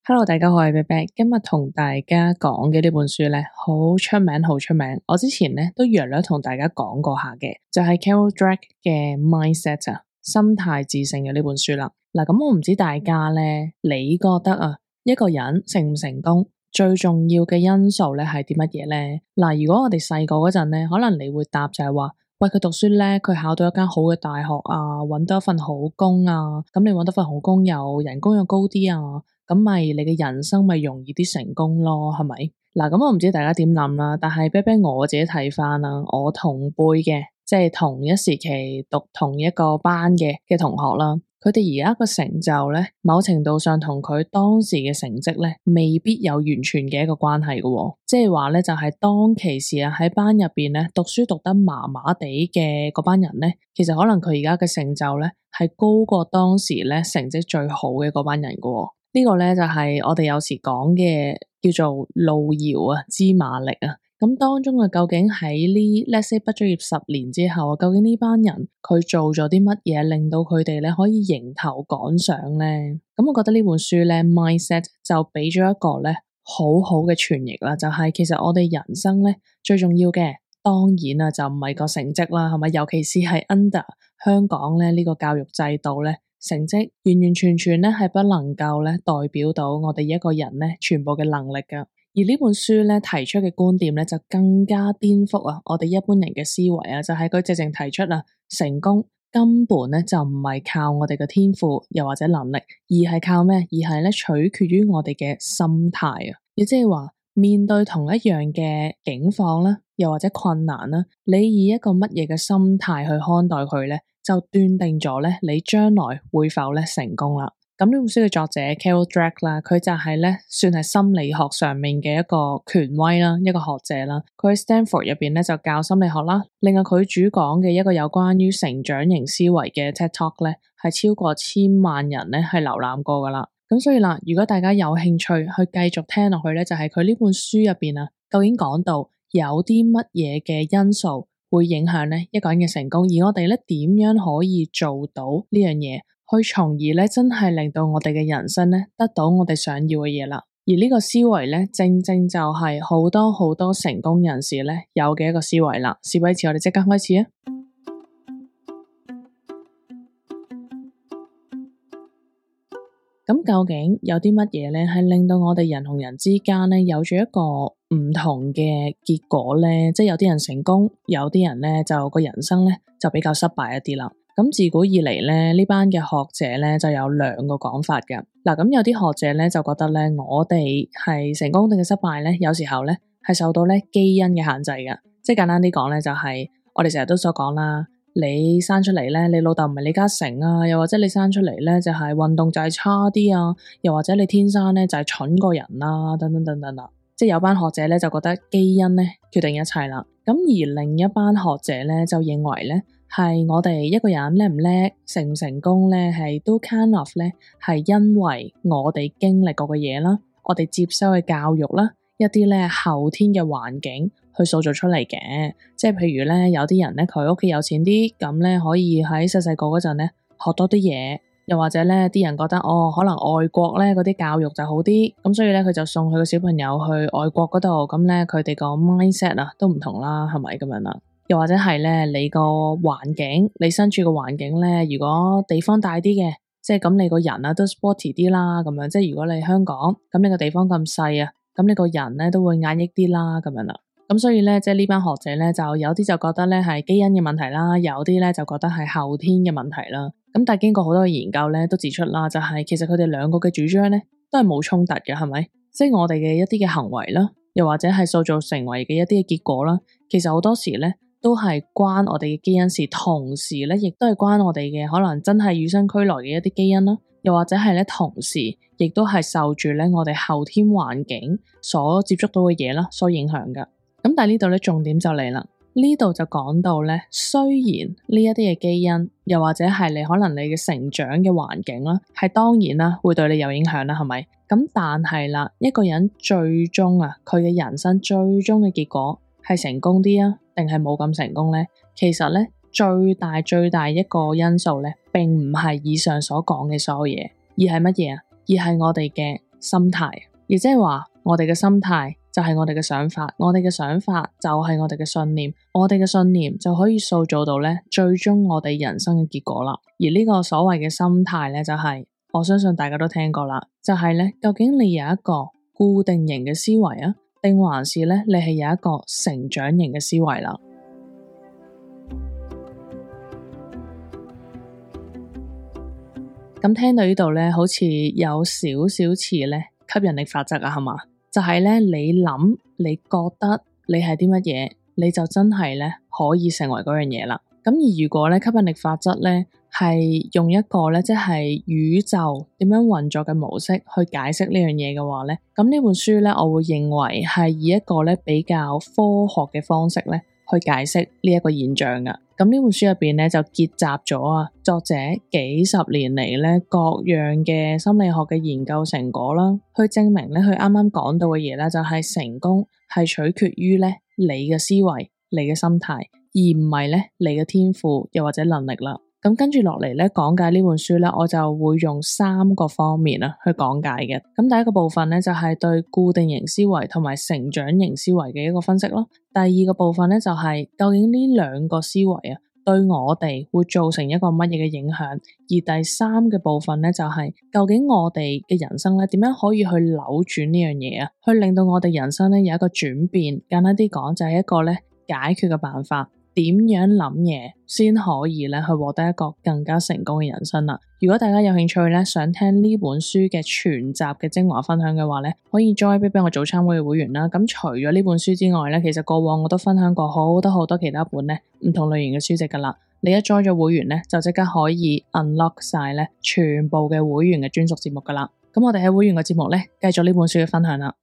Hello，大家好，我係 Beck，今日同大家講嘅呢本書咧，好出名，好出名。我之前咧都約略同大家講過下嘅，就係 Carol Dweck 嘅 Mindset 啊，心態致勝嘅呢本書啦。嗱，咁我唔知大家咧，你覺得啊，一個人成唔成功，最重要嘅因素咧係啲乜嘢咧？嗱，如果我哋細個嗰陣咧，可能你會答就係話，喂，佢讀書叻，佢考到一間好嘅大學啊，搵到一份好工啊，咁你搵到份好工又人工又高啲啊。咁咪你嘅人生咪容易啲成功咯，係咪？嗱，咁我唔知大家點諗啦，但係 Beck 我自己睇翻啦，我同輩嘅，即係同一時期讀同一個班嘅同學啦，佢哋而家個成就咧，某程度上同佢當時嘅成績咧，未必有完全嘅一個關係嘅喎，即係話咧就係當其時啊喺班入邊咧讀書讀得麻麻地嘅嗰班人咧，其實可能佢而家嘅成就咧係高過當時咧成績最好嘅嗰班人嘅喎。呢個咧就係我哋有時講嘅叫做路遙啊，知馬力啊。咁當中啊，究竟喺呢 let's say 畢咗業10年之後，究竟呢班人佢做咗啲乜嘢，令到佢哋咧可以迎頭趕上咧？咁我覺得呢本書咧 Mindset 就俾咗一個咧好好嘅傳譯啦，就係其實我哋人生咧最重要嘅，當然啊就唔係個成績啦，係咪？尤其是係 under 香港咧呢個教育制度咧。成績完完全全咧係不能夠咧代表到我哋一個人咧全部嘅能力㗎，而呢本書咧提出嘅觀點咧就更加顛覆啊我哋一般人嘅思維啊，就係佢直情提出啊成功根本咧就唔係靠我哋嘅天賦又或者能力，而係靠咩？而係咧取決於我哋嘅心態啊，亦即係話面對同一樣嘅境況啦，又或者困難啦，你以一個乜嘢嘅心態去看待佢咧？就斷定咗咧，你將來會否咧成功啦？咁呢本書嘅作者 Carol Dweck 啦，佢就係咧算係心理學上面嘅一個權威啦，一個學者啦。佢喺 Stanford 入邊咧就教心理學啦。另外佢主講嘅一個有關於成長型思維嘅 TED Talk 咧，係超過1000萬人咧係瀏覽過噶啦。咁所以啦，如果大家有興趣去繼續聽落去咧，就係佢呢本書入邊啊，究竟講到有啲乜嘢嘅因素會影響咧一個人嘅成功，而我哋咧點樣可以做到呢樣嘢，去從而咧真係令到我哋嘅人生咧得到我哋想要嘅嘢啦。而呢個思維咧，正正就係好多好多成功人士咧有嘅一個思維啦。事不宜遲，我哋即刻開始啊！咁究竟有啲乜嘢咧，係令到我哋人同人之間咧有住一個唔同嘅結果咧？即係有啲人成功，有啲人咧就個人生咧就比較失敗一啲啦。咁自古以嚟咧，呢班嘅學者咧就有兩個講法嘅。嗱，咁有啲學者咧就覺得咧，我哋係成功定係失敗咧，有時候咧係受到咧基因嘅限制嘅。即係簡單啲講咧，就係我哋成日都所講啦。你生出嚟咧，你老豆唔係李嘉誠啊，又或者你生出嚟咧就係運動就係差啲啊，又或者你天生咧就係蠢過人啦，等等等等啦。即係有班學者咧就覺得基因咧決定一切啦。咁而另一班學者咧就認為咧係我哋一個人叻唔叻，成唔成功咧係都 kind of 咧係因為我哋經歷過嘅嘢啦，我哋接收嘅教育啦，一啲咧後天嘅環境去塑造出嚟嘅。即係譬如咧，有啲人咧佢屋企有錢啲，咁咧可以喺細細個嗰陣咧學多啲嘢，又或者咧啲人覺得可能外國咧嗰啲教育就好啲，咁所以咧佢就送佢個小朋友去外國嗰度，咁咧佢哋個 mindset 啊都唔同啦，係咪咁樣啦？又或者係咧你個環境，你身處個環境咧，如果地方大啲嘅，即係咁你個人啊都 sporty 啲啦，咁樣即係如果你香港，咁你個地方咁細啊，咁你個人咧都會壓抑啲啦，咁樣啦。咁所以咧，即係呢班學者咧，就有啲就覺得咧係基因嘅問題啦，有啲咧就覺得係後天嘅問題啦。咁但係經過好多嘅研究咧，都指出啦，就係其實佢哋兩個嘅主張咧都係冇衝突嘅，係咪？即係我哋嘅一啲嘅行為啦，又或者係塑造成為嘅一啲嘅結果啦，其實好多時咧都係關我哋嘅基因事，同時咧亦都係關我哋嘅可能真係與生俱來嘅一啲基因啦，又或者係咧同時亦都係受住咧我哋後天環境所接觸到嘅嘢啦所影響噶。咁但係呢度咧重點就嚟啦，呢度就講到咧，雖然呢一啲嘅基因，又或者係你可能你嘅成長嘅環境啦，係當然啦會對你有影響啦，係咪？咁但係啦，一個人最終啊，佢嘅人生最終嘅結果係成功啲啊，定係冇咁成功咧？其實咧最大一個因素咧，並唔係以上所講嘅所有嘢，而係乜嘢啊？而係我哋嘅心態，亦即係話我哋嘅心態就係我哋嘅想法，我哋嘅想法就係我哋嘅信念，我哋嘅信念就可以塑造到咧最終我哋人生嘅結果啦。而呢個所謂嘅心態咧，就係我相信大家都聽過啦，就係咧究竟你有一個固定型嘅思維啊，定還是咧你係有一個成長型嘅思維啦。咁聽到呢度咧，好似有少少似咧吸引力法則啊，係嘛？就係咧你諗，你覺得你係啲乜嘢，你就真係咧可以成為嗰樣嘢啦。咁而如果咧吸引力法則咧係用一個咧即係宇宙點樣運作嘅模式去解釋呢樣嘢嘅話咧，咁呢本書咧我會認為係以一個咧比較科學嘅方式咧去解釋呢一個現象噶。咁呢本書入邊咧就結集咗啊作者幾十年嚟咧各樣嘅心理學嘅研究成果啦，去證明咧佢啱啱講到嘅嘢咧就係成功係取決於咧你嘅思維、你嘅心態，而唔係咧你嘅天賦又或者能力啦。咁跟住落嚟咧講解呢本書咧，我就會用3個方面啊去講解嘅。咁第一個部分咧就係對固定型思維同埋成長型思維嘅一個分析咯。第二個部分咧就係究竟呢兩個思維啊對我哋會造成一個乜嘢嘅影響，而第三嘅部分咧就係究竟我哋嘅人生咧點樣可以去扭轉呢樣嘢啊，去令到我哋人生咧有一個轉變。簡單啲講就係一個咧解決嘅辦法。點樣諗嘢先可以咧去獲得一個更加成功嘅人生啦？如果大家有興趣咧，想聽呢本書嘅全集嘅精華分享嘅話咧，可以 join 俾我早餐會嘅會員啦。咁除咗呢本書之外咧，其實過往我都分享過好多其他本咧唔同類型嘅書籍噶啦。你一 join 咗會員咧，就即刻可以 unlock 晒咧全部嘅會員嘅專屬節目噶啦。咁我哋喺會員嘅節目咧，繼續呢本書嘅分享啦。